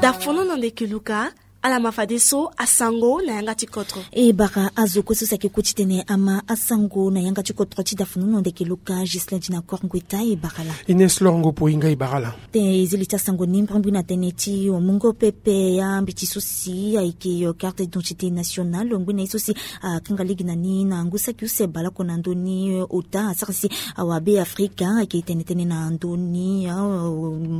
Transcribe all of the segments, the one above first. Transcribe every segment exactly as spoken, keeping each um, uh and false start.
Dafono na ndeke luka. Ala ma fadeso asango na yanga ti kodro. E bara azo kue so si ayeke ku titene ama asango na yanga ti kodro ti dafono na ndeke luka Gislain Dina Kor Ngueta, e bara laa. Ines Lor Ngopo, e nga e bara laa. Te e zi li ti asango ni mbrimbri na tënë ti mungo pepe ya mbeti so si ayeke carte d'identité nationale, lo ngbene ye so si akanga lege na ni na ngu saki use baleoko na ndö ni ota asara si awabe Afrika ayeke tene tënë na ndö ni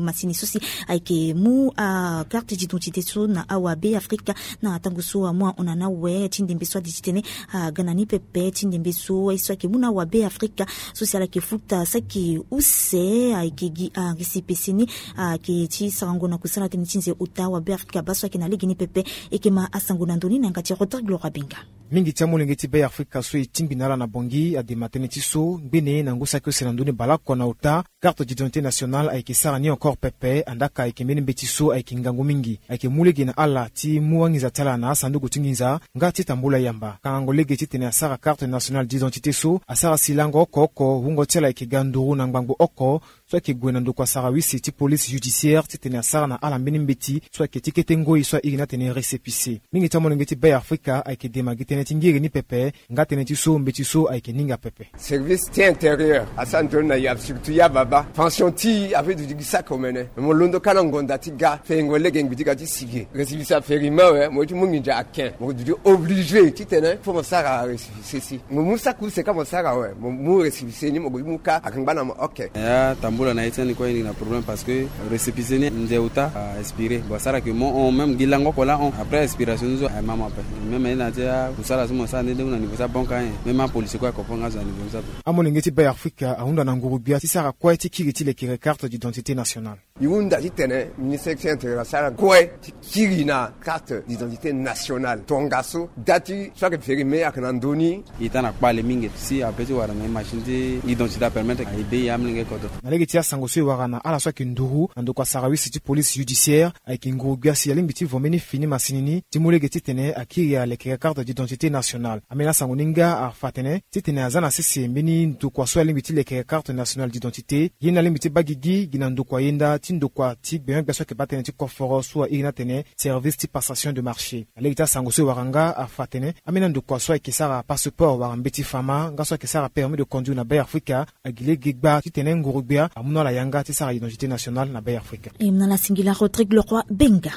masini so si ayeke mu acarte d'identité so na awabe Afrika. Na tango so amu ahon na ni awe ti ndembe so adi titene aga na ni pepe ti ndembe so aye so ayeke mu na awabe Afrika so si ala yeke futa saki use ayeke gi arisipese ni ayeke ti sarango na kusala tënë ti nze ota awabe Afrika baa so ayeke na legeni pepe. E yeke ma asango na ndö ni na yanga ti Rodrigue Laurent Benga. Mingi ti amolenge ti Be Afrika so e tingbi na ala na Bangui adema tënë ti so ngbene na ngu saki use na ndö ni baleoko na ota carte d'identité nationale ayeke sara ni encore pepe. Andaka ayeke mbeni mbeti so ayeke ngangu mingi, ayeke mu lege na ala ti mu anginza ti ala na asanduku ti nginza nga ti tambula yamba. Kangango lege titene asara carte nationale d'identité so asara si lango oko oko wungo ti ala ayeke ga nduru na ngbangbo oko so ayeke gue na ndokua sarawisi ti police judiciaire titene asara na ala mbeni mbeti so ayeke ti kete ngoi so airi ni atene récépissé. Mingi ti amolenge ti Be Afrika ayeke dema gi tënë ti ngiri ni pepe nga tënë ti so mbeti so ayeke ninga pepe. Service ti intérieur asara ndoni na ya, surtout ya baba. Pension ti e ape duti gi saki omene. Mo londo kâ na ngonda ti ga fengo lege ngbi ti ga ti sigi. Récépissé aferi me awe, mo ye ti mu nginza aken. Mo duti obligé titene fo mo sara récépissé si mo mu saki use ka mo sara awe, mo mu récépissé ni mo gue ti mu kâ akangba na mo. Ok. Ya tambula na ye ti ani kue e ni na problème parce que récépissé ni nze ota a expiré. Bon asara ke mo hon même gi lango oko laa hon après expiration ni so aye ma mo ape. Même aye na ya ti akusala so mo sara nde nde hunda na niveau ti abanke ayen. Même apolisi kue aye comprendre nga zo na niveau ni so ape. Amolenge ti Be Afrika ahunda na nguru-gbia ti sara kue ti kiri ti lekere carte d'identité nationale. E hunda titene ministre ti intérieur asara kue ti kiri na carte d'identité nationale tongaso dati so ayeke feri me ayeke na ndö ni. Ita na kpale mingi si ape ti wara na e machine ti identité apermettre aye be e amolenge kodro. Na lege ti asango so e wara na ala so ayeke nduru na ndokua sarawisi ti police judiciaire, ayeke nguru-gbia si alingbi ti vo mbeni fini masini ni ti mu lege titene akiri alekere carte d'identité nationale. Ambeni asango ni nga afa atene titene aza na sese mbeni ndokua so alingbi ti lekere carte nationale d'identité, ye ni alingbi ti baa gigi gi na ndokua yenda ti ndokua ti gbenyo-gbia so ayeke baa tënë ti koforo so airi ni atene service ti passation de marché. Na lege ti asango so e wara nga afa atene ambeni andokua so ayeke sara passeport wala mbeti fama nga so ayeke sara permis de conduire na Be Afrika agi lege gbaa titene nguru-gbia amu na ala yanga ti sara identité nationale na Be Afrika. E mu na ala singila Rodrigue Leroy Benga.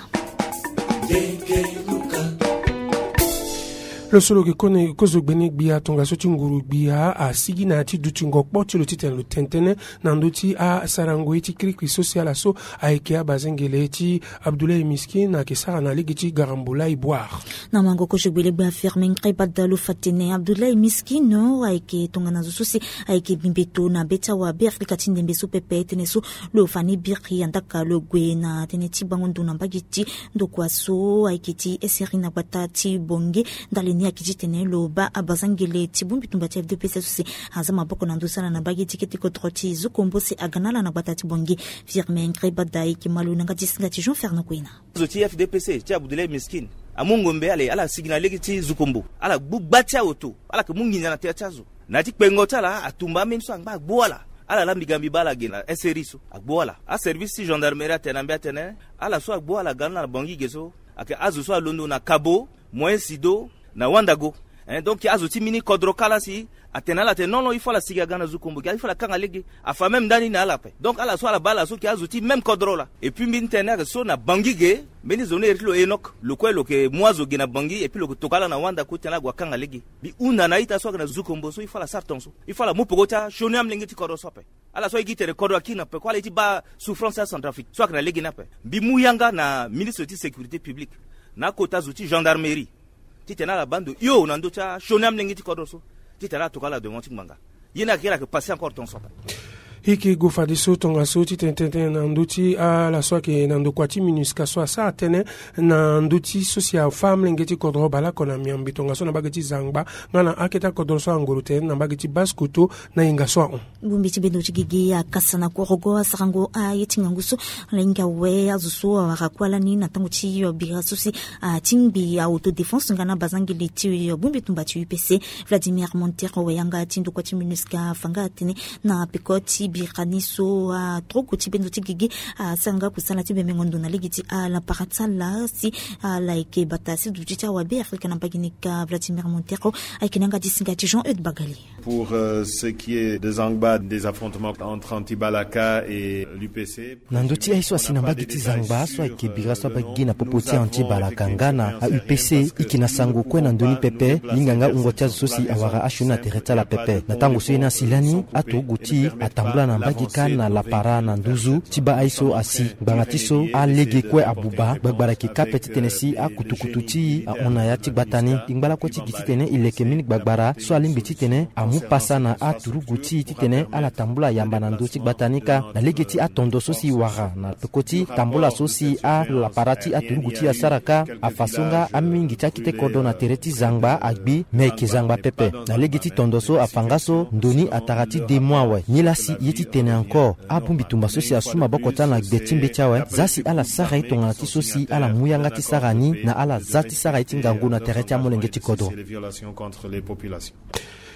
Lo so lo yeke kone kozo gbene gbia tongaso ti nguru-gbia asigi na ya ti dutingo kpo ti lo titene lo tene tënë na ndö ti asarango ye ti kirikiri so si ala so ayeke abazengele ti Abdoulaye Miskin ayeke sara na lege ti Garambulay Bouar. Na mango kozo gbene gbia Firmin Ngrébada lo fa tene Abdoulaye Miskin ayeke tongana zo so si ayeke bi mbeto na be ti awabe Afrika ti ndembe so pepe tënë so lo fa ni biri andaka lo gue na tënë ti bango ndo na mbage ti ndokua so ayeke ti eseri na gbata ti Bangui. Ndali ni ayeke titene lo baa abazangele ti bongbi tumba ti F D P C so si aza maboko na ndö ti ala na mbage ti kete kodro ti Zukombo si aga na ala na gbata ti Bangui. Firmin Ngrébada ayeke ma lo na yanga ti singa ti Jean Fernand Kouina. Azo ti F D P C ti Abdoulaye Miskin amu ngombe ale ala sigi na lege ti Zukombo, ala gbu gba ti aoto, ala yeke mu nginza na tere ti azo. Na ya ti kpengo ti ala atumba ambeni so angba agbu ala. Ala laa mbi ga mbi baa ala ge na eseri so agbu ala. Aservice ti gendarmerie atene na mbi atene ala so agbu ala aga na Bangui ge so ayeke azo so alondo na Kabo, Moyen Sido, na Wandago. Hein, donc azo ti mbeni kodro kâ laa si atene na ala atene non non il faut ala sigi aga na Zukombo, il faut ala kanga lege. Afa même ndani na ala ape. Donc ala so ala baa ala so ayeke azo ti même kodro laa. Et puis mbi tene ayeke so na Bangui ge, mbeni zo ni iri ti lo Enoch, lo kue lo yeke mu azo ge na Bangui et puis lo yeke tokua ala na Wanda kue titene ala gue akanga lege. Mbi hunda na a-ita so ayeke na Zukombo so il faut ala sara tongaso. Il faut ala mu peko ti asioni amolenge ti kodro so ape. Ala so aye gi tene kodro akiri na peko, ala ye ti baa souffrance ya Centrafrique so ayeke na lege ni ape. Mbi mu yanga na ministre ti sécurité publique na akota zo ti gendarmerie titene ala baa ndo hio na ndö ti asioni amolenge ti kodro so titene ala tokua ala devant ti ngbanga. Ye ni ayeke, ye ni ayeke passé encore tongaso ape. E yeke gue fadeso tongaso titene tene na ndö ti ala so ayeke na ndokua ti MINUSCA so asara tënë na ndö ti so si afa amolenge ti kodro baleoko na miombe tongaso na mbage ti Zangba nga na akete akodro so angoro tene na mbage ti Basse-Kotto na yenga so ahon. Bongbi ti bendo ti gigi akasa na korogo asarango aye ti ngangu so. Ala hinga awe azo so awara kuâ lani na tango ti bira so si atingbi autodéfense nga na abazangele ti bongbi tumba ti U P C. Vladimir Montero, wayanga ti ndokua ti MINUSCA, afa nga atene na peko ti Birani so aturugu ti bendo ti gigi asara nga kusala ti bemengo ndo na lege ti ala para ti ala si ala yeke bata si duti ti awabe Afrika na mbage ni ka Vladimir Montero ayeke na yanga ti singa ti Jean Eudes Bagali. Pour euh, ce qui est des Zangba, des affrontements entre Anti-Balaka et l'U P C. Na ndö ti aye so asi na mbage ti Zangba so ayeke bira so abaa gigi na popo ti Anti-Balaka nga na a-U P C, e yeke na sango kue na ndö ni pepe. Linganga wungo ti azo so si awara asioni na tere ti ala pepe. Na tango so ye ni asi lani aturugu ti e atambula na mbage kâ na lapara na nduzu ti baa aye so asi. Ngbanga ti so alege kue abuba, gbagbara yeke kâ ape titene si akutukutu ti e ahon na ya ti gbata ni. E ngba lakue ti gi titene e leke mbeni gbagbara so alingbi titene amu pasa na aturugu ti e titene ala tambula yamba na ndö ti gbata ni kâ. Na lege ti atondo so si e wara na peko ti tambula so si alapara ti aturugu ti e asara kâ, afa so nga amingi ti akete kodro na tere ti Zangba agbi, me ayeke Zangba pepe. Na lege ti tondo so afa nga so ndo ni atara ti deux mois awe. Nilaa si ye titene encore abongbi tumba so si asu maboko ti ala na gbe ti mbeti awe, za si ala sara ye tongana ti so si ala mu yanga ti sara ni na ala za ti sara ye ti ngangu na tere ti amolenge ti kodro.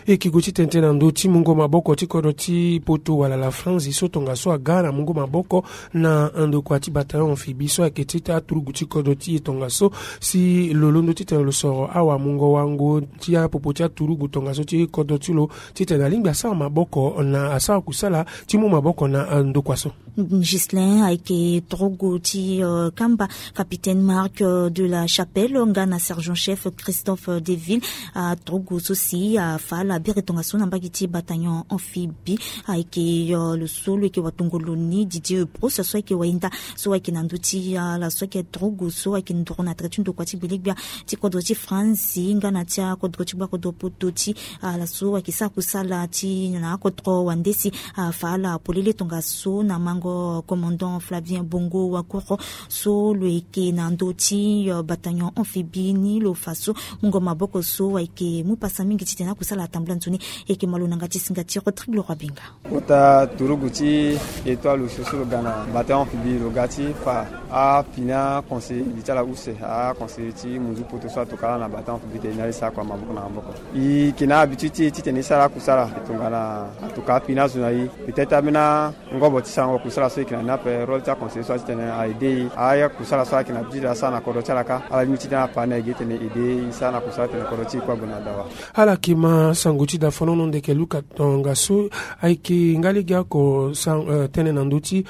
E yeke gue ti tene tënë na ndö ti mungo maboko ti kodro ti poto wala la France so tongaso aga na mungo maboko na ndokua ti bataillon amphibie so ayeke ti aturugu ti kodro ti e tongaso si lo londo titene lo soro awamungo wango ti apopo ti aturugu tongaso ti kodro ti lo titene alingbi asara maboko na asara kusala ti mu maboko na ndokua so. Ghislain ayeke turugu ti kamba, capitaine Marc de la Chapelle nga na sergent chef Christophe Deville, aturugu so si afa ala biri tongaso na mbage ti bataillon amphibie. Ayeke lo so lo yeke watongolo ni Didier Brousse so ayeke wayenda so ayeke na ndö ti ala so ayeke turugu so ayeke nduru na tere ti ndokua ti gbelegbia ti kodro ti France nga na ti akodro ti gbakodro poto ti ala so ayeke sara kusala ti na akodro wande si afa ala polele tongaso na mango commandant Flavien Bongo Wakoro so lo yeke na ndö ti bataillon amphibie ni lo fa so mungo maboko so ayeke mu pasa mingi titene akusala atambula nzoni. Ayeke malo na yanga ti singa ti Rodrigue Leroy Benga. Kota turugu ti Etoile so so lo ga na bataillon amphibie lo ga ti fa apina conseiller li ti ala use aconseiller ti munzu poto so atoka ala na bataillon amphibie tene ni ala e sara kua maboko na maboko. E yeke na habitude ti e titene e sara akusala tongana atoka apina azo na e. Peut-être ambeni angobo ti sarango kusala so e yeke na ni ape, rôle ti aconseiller so atitene a aide e. Akusala so ayeke na habitude asara na kodro ti ala kâ, ala lingbi titene ala pa na e gi titene aide e sara na kusala titene kodro ti e kue ague na dawa. Ala yeke ma sango ti dafonono ndeke luka tongaso. Ayeke nga lege oko tene na ndö ti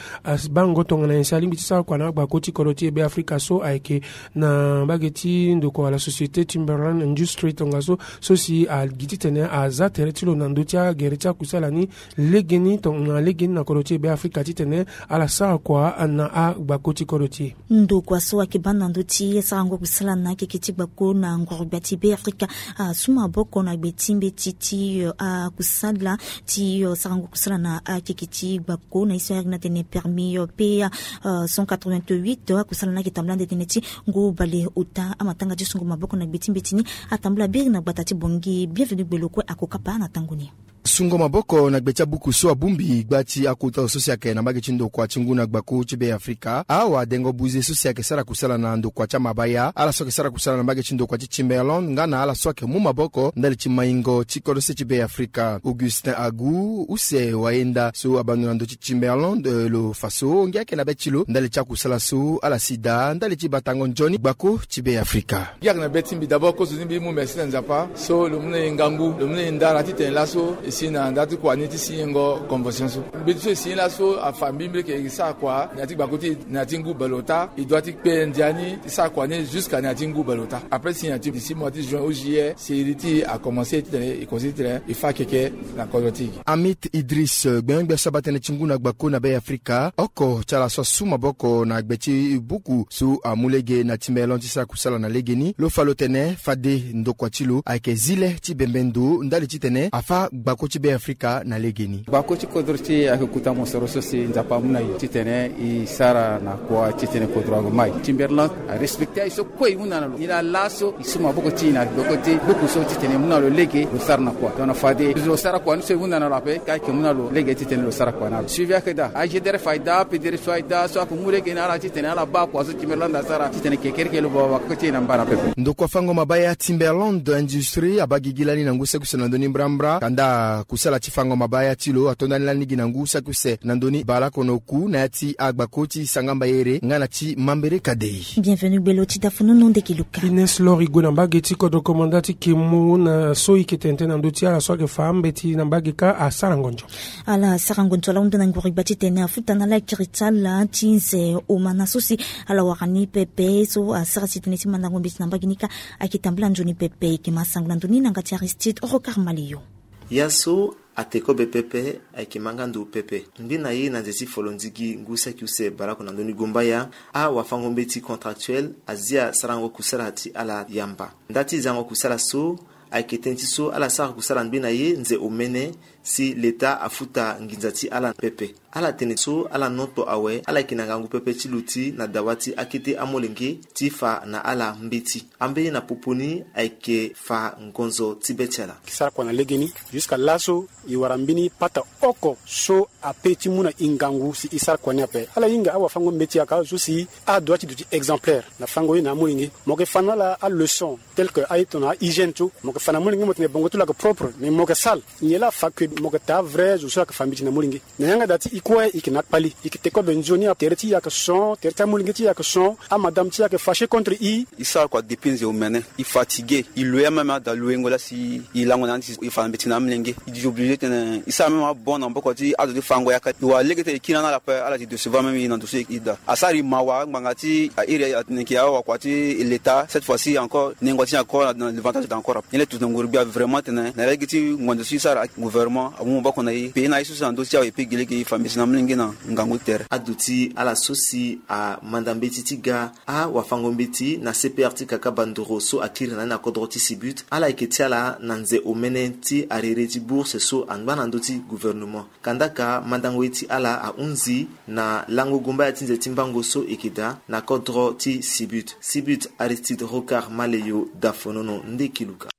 bango tongana nyen si alingbi ti sara kua na agbako ti kodro ti e Be Afrika so ayeke na mbage ti ndokua la Société Timberland Industry tongaso so si agi titene aza tere ti lo na ndö ti agere ti akusala ni legeni tongana legeni na kodro ti e Be Afrika titene ala sara kua na agbako ti kodro ti e. Ndokua so ayeke baa na ndö ti sarango kusala na akeke ti gbako na nguru-gbia ti Be Afrika asu maboko na gbe ti mbeti ti akusala ti sarango kusala na akeke ti gbako na ye so ayeke na tene permis P A cent quatre-vingt-huit. Akusala ni ayeke tambula nde tene ti ngu bale ota. Amatanga ti sungo maboko na gbe ti mbeti ni atambula biri na gbata ti Bangui. Bienvenu Gbelo kue ako kapa na tango ni. Sungo maboko na gbe ti abuku so abongbi gba ti akota zo so si ayeke na mbage ti ndokua ti ngu na gbako ti Be Afrika, awadengo buze so si ayeke sara kusala na ndokua ti amabaya, ala so ayeke sara kusala na mbage ti ndokua ti Timberland nga na ala so ayeke mu maboko ndali ti maingo ti kodro se ti Be Afrika. Augustin Agu, use wayenda so abando na ndö ti Timberland, eh, lo fa so ngia ayeke na be ti lo ndali ti akusala so ala si daa ndali ti batango nzoni gbako ti Be Afrika. Ngia ayeke na be ti mbi d'abord kozo ni mbi mu merci na Nzapa so lo mu na e ngangu, lo mu na e ndara titene laso e si na ndara ti kua ni ti signengo convention so. Mbeti so e si ni laso afa mbi mbi leke e sara kua na ya ti gbako ti e na ya ti ngu baleota. E doit ti kpe ndia ni ti sara kua ni jusqu'à na ya ti ngu baleota. Après signature ti six mois ti juin au juillet, série ti e a commencé titene e considéré titene e fa keke na kodro ti e. Amit Idriss, gbengbia so abaa tënë ti ngu na gbako na Be Afrika, oko ti ala so asu maboko na gbe ti buku so amu lege na Timberland ti sara kusala na legeni, lo fa lo tene fade ndokua ti lo ayeke zi le ti bembe ndo ndali titene afa gbako ti Be Afrika na legeni. Gbako ti kodro ti e ayeke kota mosoro so si Nzapa amu na e titene e sara na kua titene kodro ague mai. Timberland arespecté aye so kue e hunda na lo. Nilaa laso e su maboko ti e na gboko ti buku so titene e mu na lo lege lo sara. Na kua tongana fade lo sara kua ni so e hunda na lo ape ka ayeke mu na lo lege titene lo sara kua na lo. Suivi ayeke daa, agdr fade daa, pdr fade daa, so ayeke mu lege na ala titene ala baa kua so ti mere landa asara titene kekereke lo baba kaka ti e na mbara pepe. Ndokua fango mabaya Timberland Industrie abaa gigi lani na ngu saki use na ndö ni mbrambra. Kanda kusala ti fango mabaya ti lo ato ndani lani gi na ngu saki use na ndö ni baleoko na oku na ya ti agbako ti Sangamba Ere nga na ti Mambere Kadei. Bienvenu gbelo ti dafonono ndeke luka. Ines Lor e gue na mbage ti kodro komanda ti Kemo na so e yeke tene tënë na ndö ti ala so ayeke fa mbeti na mbage kâ asara ngonzo. Ala asara ngonzo ala hunda na nguru gba titene afuta na ala akiri ti ala ti nze omana so si ala wara ni pepe so asara si tënë ti mandango mbeti na mbage ni kâ ayeke tambula nzoni pepe. E yeke ma sango na ndö ni na yanga ti Aristide Rocard Maleyo. Ya so ate kobe pepe ayeke ma nga ndo pepe. Ngbi na ye na nze ti folondigi ngu saki use baleoko na ndö ni gombaya, awafango-mbeti contractuel azia sarango kusala ti ala yamba. Nda ti zango kusala so ayeke tënë ti so ala sara kusala ngbi na ye nze omene si leta afuta nginza ti ala pepe. Ala tene so ala noto awe ala yeke na ngangu pepe ti luti na dawa ti akete amolenge ti fa na ala mbeti. Ambeni na popo ni ayeke fa ngonzo ti be ti ala. Sara kua na legeni, jusqu'à laso e wara mbeni pata oko so ape ti mu na e ngangu si e sara kua ni ape. Ala hinga awafango-mbeti yaka so si adua ti duti exemplaire na fango ye na amolenge. Mo yeke fa na ala aleçon tel que aye tongana ahygiène so. Mo yeke fa na amolenge mo tene bongo ti lo ayeke propre, mais mo yeke sale. Nyen laa afa que mo yeke taa vrai zo so ayeke fa mbeti na amolenge? Na yanga daa ti e kue e yeke na akpali, e yeke te kobe nzoni. Tere ti e ayeke son, tere ti amolenge ti e ayeke son. Amadame ti e ayeke fâché contre e. E sara kua depuis nze omene, e fatigué, e loyer même ada loyengo laa si e lango na ande si e fa na mbeti na amolenge. E di obligé tene e sara même abon na maboko ti azo ti fango yaka. E wara lege ti e kiri na ala ape, ala di décevoir même e na ndo so e daa. Asara e mawa ngbanga ti a iri atene e yeke awakua ti leta, cette fois ci encore nengo ti e encore na l'avantage daa encore ape. Nyen laa e duti na nguru gbia vraiment tene na lege ti ngonzo so e sara, gouvernement amu maboko na e, pays na e so si na ndö ti awe e pe gi lege e fa mbeti na amolenge na ngangu ti tere. Aduti ala so si amanda mbeti ti ga, awafango-mbeti na C P R ti Kaka Bandoro so akiri na ni na kodro ti Sibut, ala yeke ti ala na nze omene ti arere ti bourse so angba na ndö ti gouvernement. Kandaka mandango ye ti ala ahunzi na lango gombaya ti nze ti mbango so e yeke daa na kodro ti Sibut. Sibut, Aristide Rocard Maleyo, dafonono ndeki luka.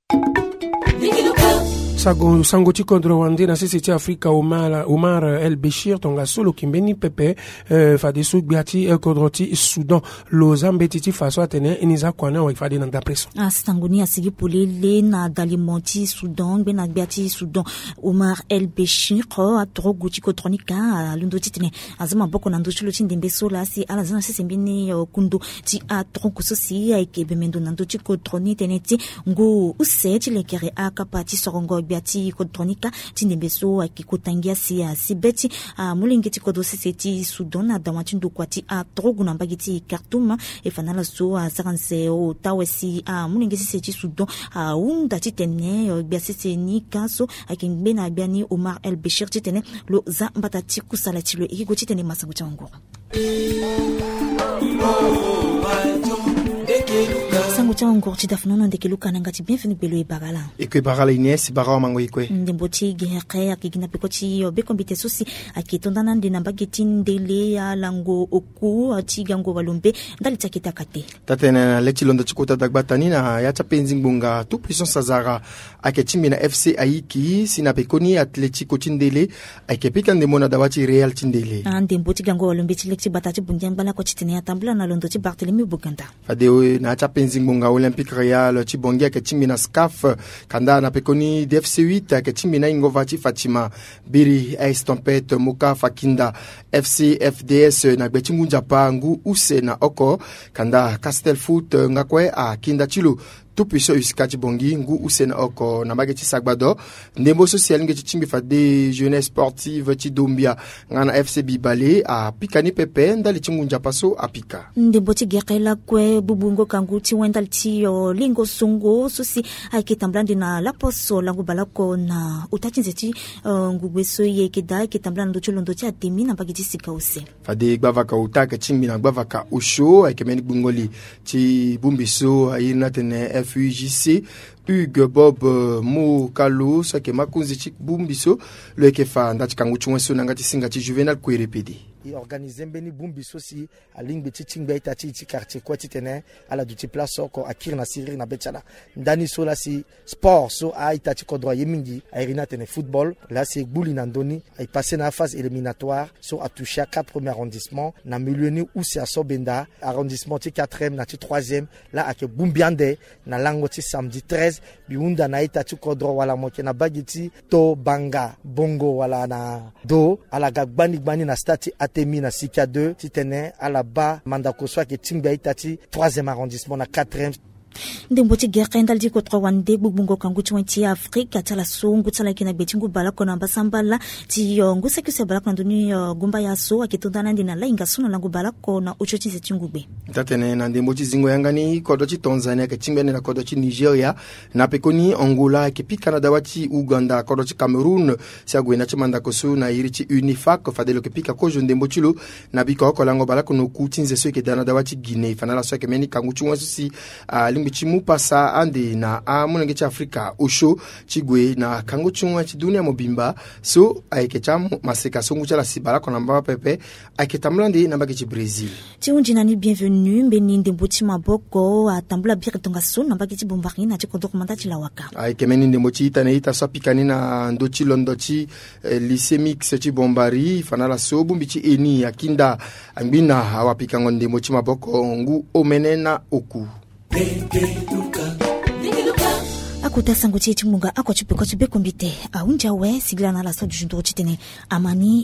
Sago sango ti kodro wande na sese ti Afrika, Omar, Omar El Béchir, tongaso lo yeke mbeni pepe, eh, fadeso gbia ti, eh, kodro ti Soudan lo za mbeti ti fa so atene e ni za kua ni awe fade na ndapre so. Asango ni asigi polele na dalimo ti Soudan, ngbene gbia ti Soudan, Omar El Béchir, atorogu ti kodro ni kâ alondo titene aza maboko na ndö ti lo ti ndembe so laa si ala za na sese mbeni, eh, kundo ti atorogu so si ayeke bemendo na ndö ti kodro ni tënë ti ngu use ti lekere akapa ti sorongo gbia ti kodro ni kâ ti ndembe so ayeke kota ngia si asi be ti amolenge ti kodro sese ti Soudan na dawa ti ndokua ti atorogu na mbage ti Khartoum. E fa na ala so asara nze ota awe si amolenge sese ti Soudan ahunda titene, eh, gbia sese ni kâ so ayeke ngbene gbia ni Omar El Béchir titene lo za mbata ti kusala ti lo. E ke gue titene masango ti awanguru. Sango ti awanguru ti dafonono ndeke luka na yanga ti Bienvenu Belo, e bara ala. E kue bara ala Ines, bara wamango e kue. Ndembo ti gere ayeke gi na peko ti, eh, bekombite so si ayeke to nda na ande na mbage ti ndele alango oku ti gango walombe ndali ti akete akate. Taa-tënë na le ti londo ti kota dagbata ni na ya ti apenzi ngbonga Tout Puissance azara ayeke tingbi na F C Aiki si na pekoni athletico ti ndele ayeke pika ndembo na dawa ti Real ti ndele. Andembo ti gango walombe ti le ti gbata ti Bongi angba lakue titene atambula na londo ti Barthélemy Boganda. Fade na ya ti apenzi ngbonga Olympique Real ti Bongi ayeke tingbi na SCAF, kanda na pekoni D F C huit ayeke tingbi na aingova ti Fatima. Biri Ice Tempête Moka Fakinda F C F D S na gbe ti ngu nzapa ngu use na oko, kanda Castel Foot nga kue akinda ti lo Tout Puissant Usika ti Bongi ngu use na oko na mbage ti Sagbado. Ndembo so si alingbi ti tingbi fade Jeunesse Sportive ti Dombia nga na F C Bibale apika ni pepe ndali ti ngu nzapa so apika. Ndembo ti gere lakue bubu ngoka ngu ti wen ndali ti, eh, lingo songo so si ayeke tambula ande na laposo lango baleoko na ota ti nze ti, eh, ngugbe so e yeke daa ayeke tambula na ndö ti londo ti ademi na mbage ti sika use. Fade gbavaka ota ayeke tingbi na gbavaka osio ayeke mbeni gbungo li ti bongbi so airi ni atene F U J C. Hugues Bob Mokalo so ayeke makonzi ti bongbi so lo yeke fa nda ti kangu ti wen so na yanga ti singa ti Juvénal Kouéré-Pédé. E organize mbeni bongbi so si alingbi ti tingbi a-ita ti e ti quartier kue titene ala duti place oko akiri na siriri na be ti ala. Ndani so laa si sport so a-ita ti kodro aye mingi, a iri ni atene football, laa si e gbu li na ndö ni, e passe na aphase éliminatoire so atoucher a quatre premiers arrondissements na milieu ni use aso benda arrondissement ti quatrième na ti troisième. Laa ayeke bongbi ande na lango ti samedi treize, mbi hunda na a-ita ti kodro wala mo yeke na baa gi ti to banga bongo wala na do, ala ga gbani gbani na stade ti Atemi na Sikia deux titene ala baa mandako so ayeke tingbi a-ita ti troisième arrondissement na quatrième. Ndembo ti gere ndali ti kodro wande gbugbungo kangu ti wen ti Afrika ti ala so ngu ti ala yeke na gbe ti ngu baleoko na mbasambala ti, eh, ngu saki use baleoko na ndö ni, eh, gumbaya so ayeke to nda na ande na lahinga so na lango baleoko na osio ti nze ti ngugbe. Taa-tene na ndembo ti zingo yanga ni kodro ti Tanzanie ayeke tingbi ande na kodro ti Nigeria. Na pekoni Angola ayeke pika na dawa ti Ouganda, kodro ti Cameroun si ague na ti mandako so na iri ti UNIFAC fade lo yeke pika kozo ndembo ti lo na biko oko lango baleoko na oku ti nze so eke daa na dawa ti Guinée. Fa na ala so ayeke mbeni kangu ti wen so si alingbi ti mu pasa ande na amolenge ti Afrika osio ti gue na kangu ti wen ti dunia mobimba so ayeke ti amaseka so ngu ti ala si baleoko na mbamba pepe. Ayeke tambula nde na mbage ti Brésil. Ti hunzi na ni Bienvenu, mbeni ndembo ti maboko atambula biri tongaso na mbage ti Bombari na ti kodro komanda ti Lawaka. Ayeke mbeni ndembo ti ita na ita so apika ni na ndö ti londo ti, eh, lycée mix ti Bombari. Fa na ala so bongbi ti eni akinda angbina awapikango ndembo ti maboko ngu omene na oku. Akota sango ti e ti ngbonga oko ti peko ti bekombite ahunzi awe. Singila na ala so duti nduru titene ama ni